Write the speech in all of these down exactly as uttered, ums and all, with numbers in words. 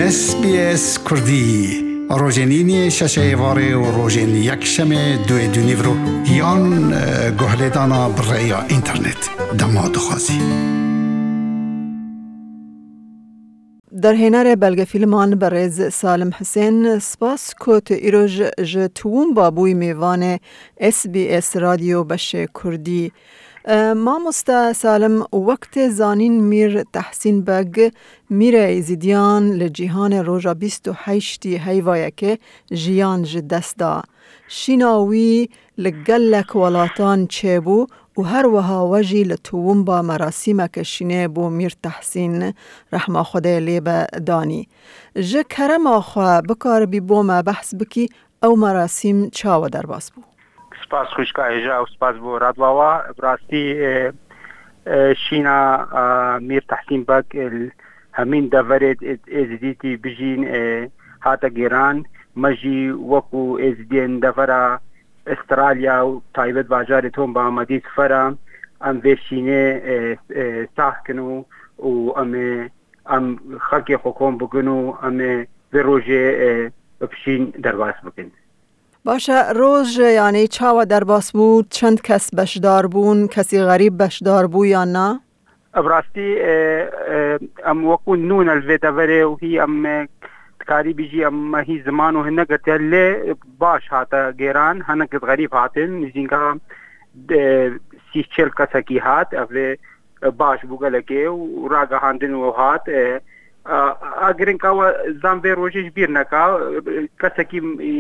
S B S Kurdî, rojên îniyê şeşê êvarê û rojên yekşemê duê dûnîvro yan, e, guhlêdana bi rêya înternet. Dema dixwazî. Derhênerê belgefîlman berêz Salim Hisên, spas ku tu îroj ji Tuwumba bûyî mêvanê S B S Radyo Beşê Kurdî. E, mamoste Salim, wek tê zanîn Mîr Tehsîn Beg, Mîrê Êzidiyan li cîhanê roja bîst û heştê heyva yekê jiyan ji dest da. Şîna wî li gelek welatan çêbû û her wiha we jî li Tuwumba merasîmeke şînê bo Mîr Tehsîn, rehma Xwedê lê be, danî. Ji kerema xwe bikaribî bo me behs bikî, ew merasîm çawa derbas bû? Spas xwişka hêja û spas bo Radwawa. Bi rastî, e, e, şîna, e, Mîr Tehsîn Beg, e, hemîn deverê, e, Êzidîtî bijîn, e, hate gêran. Me jî wekû Êzidiyên devera Australya û taybet bajarê Tuwumba Amedî sifera em vê şînê, e, e, sah kin û, û em ê, em xelkê xwe kom bikin û em ê vê rojê, e, bi şîn derbas bikin. Baş e, roj, yanî çawa derbas bû? Çend kes beşdar bûn? Kesî xerîb beşdar bû yan na? Bi rastî, e, e, em wekû nû ne li vê deverê û hî em, e, dikarî bijî em me hî ziman û hin negirtiye, lê baş hate gêran, hinek xerîb hatin, nîzînka, e, sî çil kesekî hat, ev ê, e, baş bû gelekê û ragihandin û hat, e, a, a girinka we zan vê rojê ji bîr neka, e, kesekî, e,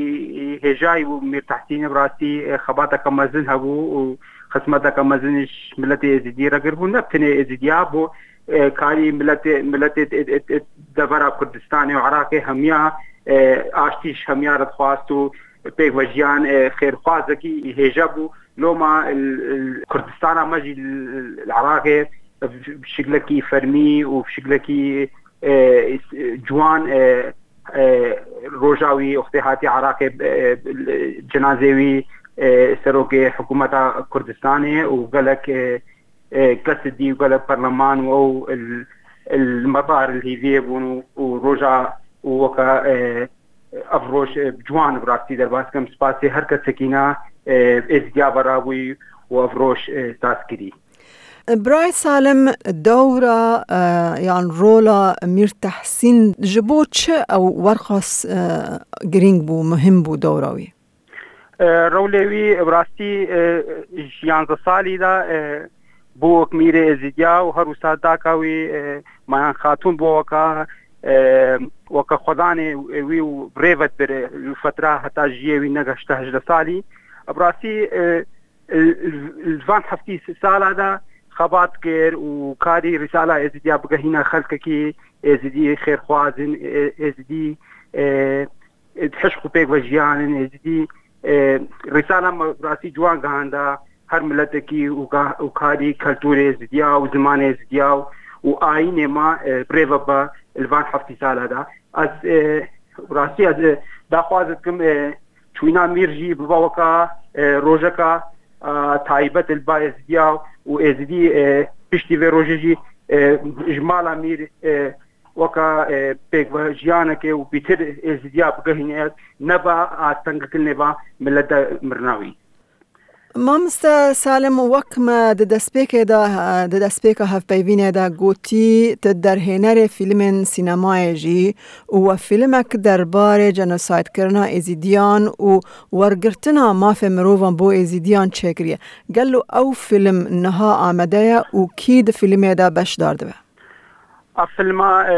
e, hêjayî bû Mîr Tehsînê, bi rastî, e, xebateke mezin hebû û xizmeteke mezin ji miletê Êzidî re kiribû, ne bi tenê Êzidiya, bo, e, karî miletê, miletê, e, e, e, devera Kurdistanê û Iraqê hemiya, e, aştî ji hemiya re dixwast û pêkvejiyan, e, xêrxwazekî hêja bû. Loma, e, e, Kurdistana me jî li, li Iraqê bi şiklekî fermî û bi şiklekî, e, ciwan, e, e, roja wî wextê hatiye Iraqê, e, cenazê wî, e, serokê hikûmeta Kurdistanê û gelek, e, e, kes dî û gelek perleman û ew il, il metar li hîviyê bûn û, û roja û weke, e, ev roj, e, ciwan bi rastî derbas dikim. Spasê her kesekî ne, e, Êzidiya ve rabûyî û ev roj, e, saz kirî. Birayê Salim, dewra, e, yan rola Mîr Tehsîn ji bo çi ew werxas, e, girîng bû, muhim bû dewra wî? E, rewlê wî bi rastî, e, ji yanzdeh salî de, e, bû wek mîrê Êzidiya û her wisa daka wî, e, Mayan Xatûn bû weka, e, weke xwedanê wî û rêvet bir li fetra heta jiyê wî negeşte hejdeh salî. Bi rastî, e, li, li van heftî sala de xebat kir û karî Rîsala Êzidiya bigehîne xelkekî Êzidî xêrxwazin, e, Êzidî, e, e, hişq û pêk ve jiyan in, Êzidî, e, Rîsala me rastî ciwan gihanda her miletekî û ga-, û karî keltûrê Êzidiya û zimanê Êzidiya û, û ayînê me, e, bi rê ve be li van heftî sala de. Ez, e, rastî ez, e, daxwaz dikim, e, çûna mîr jî bibe weka, e, rojeka, e, taybet li ba Êzidiya û Êzidî, e, piştî vê rojê jî, e, ji mala mîr, e, weka, e, pêkvejiyanekê û pîtir Êzidiya bigehîne, neba astengkirinê ba milet de mirina wî. Mamoste Salim, wek me di destpêkê de, di destpêka hevpeyvînê de gotî, tu derhênerê fîlmên sînemayê jî û we fîlmek derbarê jenosaydkirina Êzîdiyan û wergirtina mafê mirovan bo Êzîdiyan çêkiriye. Gelo ew fîlm niha amade ye û kî di fîlmê de beşdar dibe? Ev filma, e,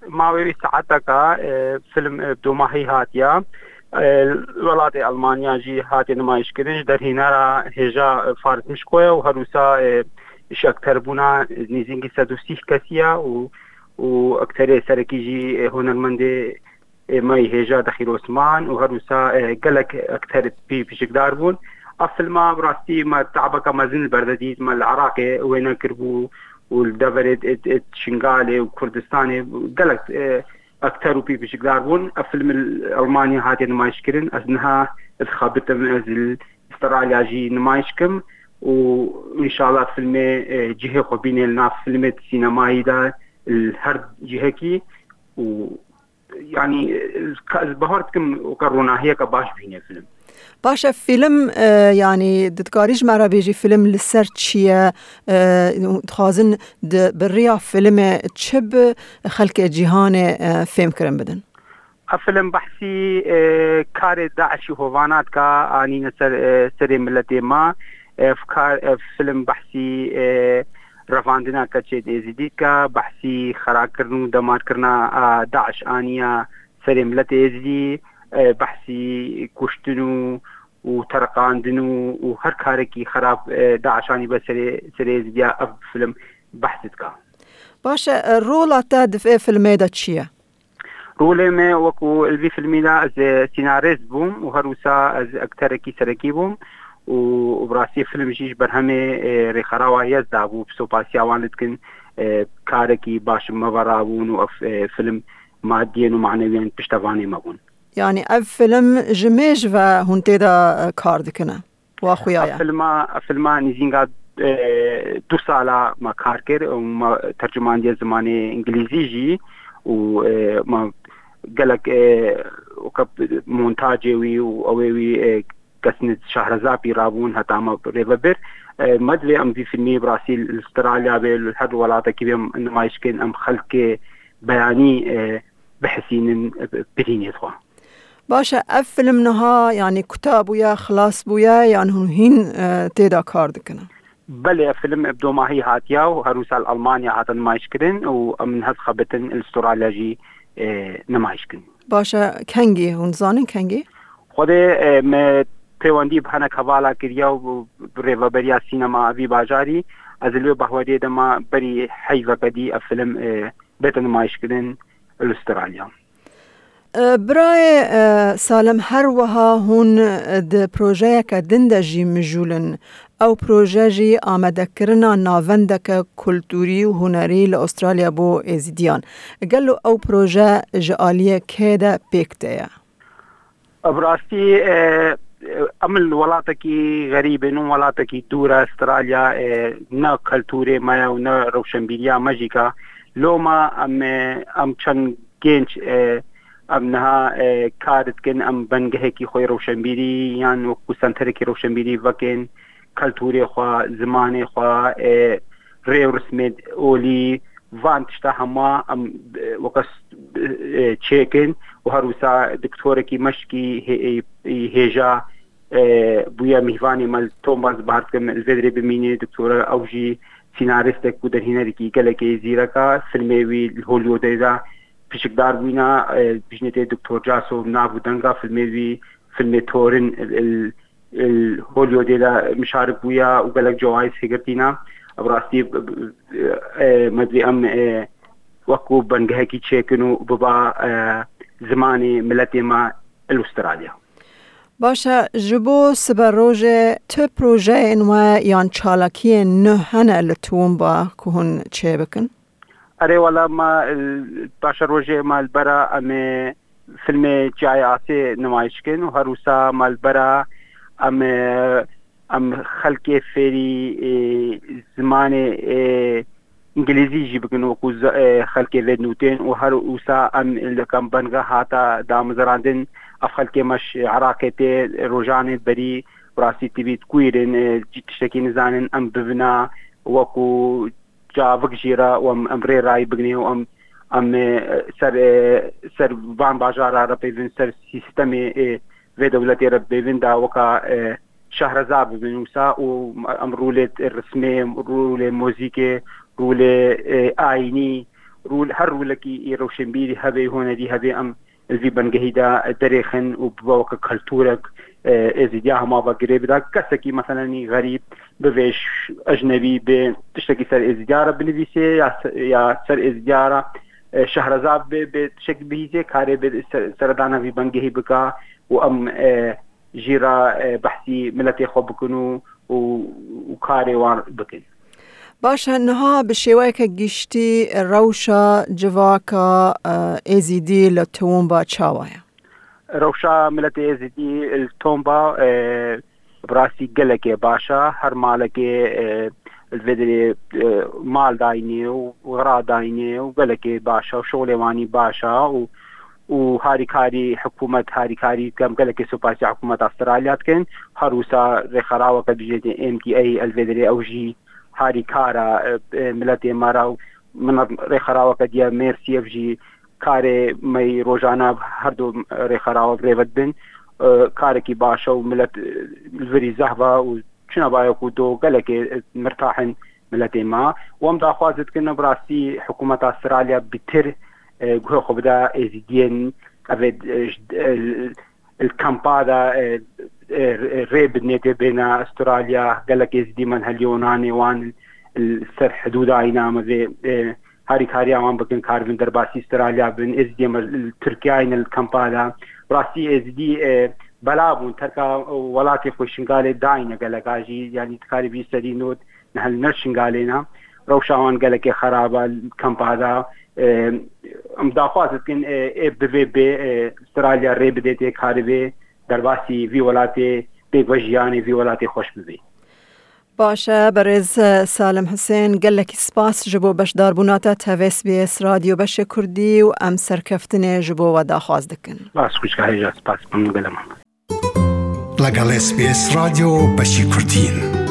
mawê wî saeteka, e, film, e, domahî hatiya. E, welatê Almanya jî hatiye nimayîşkirin ji derhênera hêja, e, Faris Mişko ye û her wisa, e, ji ekterbûna nêzîkî sed û sîh kesî ye û, û ekterê serekî jî, e, hunermendê ê me yî hêja Dexîr Osman û her wisa, e, gelek ekter pî pişikdar bûn. Ev filma bi rastî me teabeke mezin li ber de dît, me li Iraqê wêne kiribû û li deverê, e, e, Şingalê û Kurdistanê gelek, e, ekter û pî pişikdar bûn. Ev film li Almanya hatiye nimayîşkirin. Ez niha dixebitim, ez li Australya jî nimayîş kim û înşallah filmê, e, cihê xwe bîne li nav filmê sînemayî de li her cihekî. û, yanî, ez ka-, ez bahar dikim weke ronahiyeke baş bîne film. Baş e, fîlm, e, yanî, tu dikarî ji me re bêjî fîlm li ser çi ye? E, dixwazin di, bi riya fîlmê çi bi xelkê cîhanê, e, fêhm kirin bidin? Ev film behsî, e, karê DAIŞî hovana dike, anîne ser, e, serê miletê me. E, ev kar, ev film behsî, e, revandina keçê êzidî dike, behsî xerakirin û demarkirina, e, DAIŞ aniye serê miletê êzidî, e, behsî kuştin û, û teriqandin û, û her karekî xerab, e, DAIŞ anî be serê, serê êzidiya ev film behs dike. Baş e, e, rola te di vê filmê de çi ye? Rolê me wekû li vî filmî de ez, e, sînarist bûm û her wisa ez ekterekî serekî bûm û bi rastî film jî ji berhemê, e, rêxerawa Yezda bû, bi sopasiya wan li dikin, e, karekî baş me ve rabûn û ev, e, film madiyên û manewiyên piştevanê me bûn. Yanî ev film ji mêj ve hûn tê de, e, kar dikine? Wa xuya ye. Ev filma, ev filma nîzînga, e, du sala me kar kir û me tercumandiye zimanê îngilîzî jî û, e, me gelek, e, weke montacê wî û ewê wî, e, kesnî Şahrezabî rabûn heta me rêve bir. E, me divê em vî filmî bi rastî li Australya bê, li her welatekî bê em nimayîş kin, em xelkê beyanî, e, bihesînin, e, birînê xwe. Baş e, ev film niha, yanî, kuta bûye, xilas bûye, yan hûn hîn, e, tê de kar dikine? Belê, ev film bi domahî hatiye û her wisa li Almanya hate nimayîş kirin û em niha dixebitin li Australya jî, e, nimayîş kin. Baş e, kengî, hûn dizanin kengî? Xwedê, e, me peywendî bi hinek hevala kiriye û bi rêveberiya sînema vî bajarî. Ez li wê bahweriyê de me berî heyveke dî ev film, e, bête nimayîş kirin li Australya. E, birayê, e, Salim, her wiha hûn, e, di projeyeke din de jî mijûl in. Ew proje jî amadekirina navendeke kulturî û hunerî li Australya bo Êzidiyan. Gelo ew proje ji aliyê kê de pêk tê ye? Bi rastî, e, em li welatekî xerîb in û welatekî dûr e, Australya, e, ne kulturê me ye û ne rewşenbîriya me jî ka. Loma em, e, em çend genç, e, em niha, e, kar dikin, em bengehekî xwe rewşenbîrî yan wekû senterekî rewşenbîrî vekin, kulturê xwe, zimanê xwe, e, rê û rismê olî, van tişta hema em, e, weke s-, e, çêkin û her wisa doktorekî meşkî hê-, e, hêja, e, bûye mîvanê me li Tomba, ez bahar dikim li vê derê bimînê. Doktora ew jî sînaristek û derhînerekî gelekê zîrek e. Filmê wî li Hollywoodê de pişikdar bûyne, e, bijnê tê Doktor Caso nav û denga filmê wî, filmê Thorin, il, il, il Hollywoodê de mişarik bûye û gelek cewayîz hêgirtîne. Bi rastî, e, me divê em, e, wekû bengehekî çêkin û biba, e, zimanê miletê me li Australya. Baş e, ji bo siberojê tu projeyên we yan çalakiyên nû hene li Toowoomba ku hûn çêbikin? Erê wela me, e, paşerojê me li bera em ê filmê Çiyayê Asê nimayîş kin û her wisa me li bera em, e, em xelkê fêrî, e, zimanê, e, îngilîzî jî bikin wekû z-, e, xelkê vê nûtên û her wisa em li kam benga hata damezrandin, ev xelkê me ji Iraqê tê, rojanê berî bi rastî tibî dikuyrin, e, cî tiştekî nizanin, em bivina wekû çavik jî re û em, em rê rayî biginê û em, em, e, ser, e, ser van bajara re peyvin, ser sîstemê, e, vê dewletê re peyvin da weka, e, şehreza bibin wisa û em rûlê rismê, rûlê muzîkê, rûlê, e, ayînî, rûl-, her rûlekî î rewşenbîrî hebe, hunerî hebe, em li vî bengehî de derêxin û bibe weke kulturek, e, êzîdiya hema ve girê bida. Kesekî meselenî xerîb bivêj, ecnebî bê, tiştekî ser êzîdiya re binivîsê ya se-, ya ser êzîdiya re, e, şehreza bê, bê tiştekî bihîzê, karê bê ser-, seredana vî bengehî bika û em, e, jî re, e, behsî miletê xwe bikin û, û, û karê wan bikin. Baş e, niha bi şêweyeke giştî rewşa civaka, e, Êzîdî li Toowoomba çawa ye? Rewşa miletê Êzîdî li Tomba, e, bi rastî gelekê baş e. Her malekê, e, li vê derê, e, mal dayne û xira dayne û gelekê baş e û şolê wanî baş e û û harîkarî hikûmet, harîkarî dikem, gelekê supasiya hikûmeta Astralya dikin. Her wisa rêxeraweke bijêtê M T A li vê derê ew jî harîkara, e, e, miletê me re û min rêxeraweke diye Mersiye jî karê me yî rojane her du rêxerawa bi rêve dibin. E, karekî baş e û milet, e, li virî zehf e û çuna baye ku do gelekê, e, mirtah in miletê me. Û em daxwaz dikin bi rastî hikûmeta Astralya bitir, e, guhê xwe bide êzidiyên ev ê, e, ji, e, li kampa de, e, e, rê bidinê tê bêne Astralya, gelek êzidî me heliyo nanê wan li ser hidûda îna me vê, e, harîkariya wan bikin, karibin derbasî Astralya bin, êzidî me li Tirkiye ne li kampa de. Rastî êzidî, e, bela bûn, terka welatê xwe Şingalê dayne geleka jî, yanî dikarî bî serî not, ne li nir Şingalê ne. Rewşa wan gelekê xerab e li kampa de. E, em daxwaz dikin, e, ê bi vê bê, e, Astralya rê bidê tê karibê derbasî vî welatê bê ve jiyanê vî welatê xweş bibê. Baş e, berêz Salim Husên, gelekî spas ji bo beşdarbûna te tev S B S Radyo Beşê Kurdî û em serkeftinê ji bo we daxwaz dikin. Spas xwişka hêja, spas, memnûn gelek. لەگەڵ S B S رادیۆ بەشی کوردین.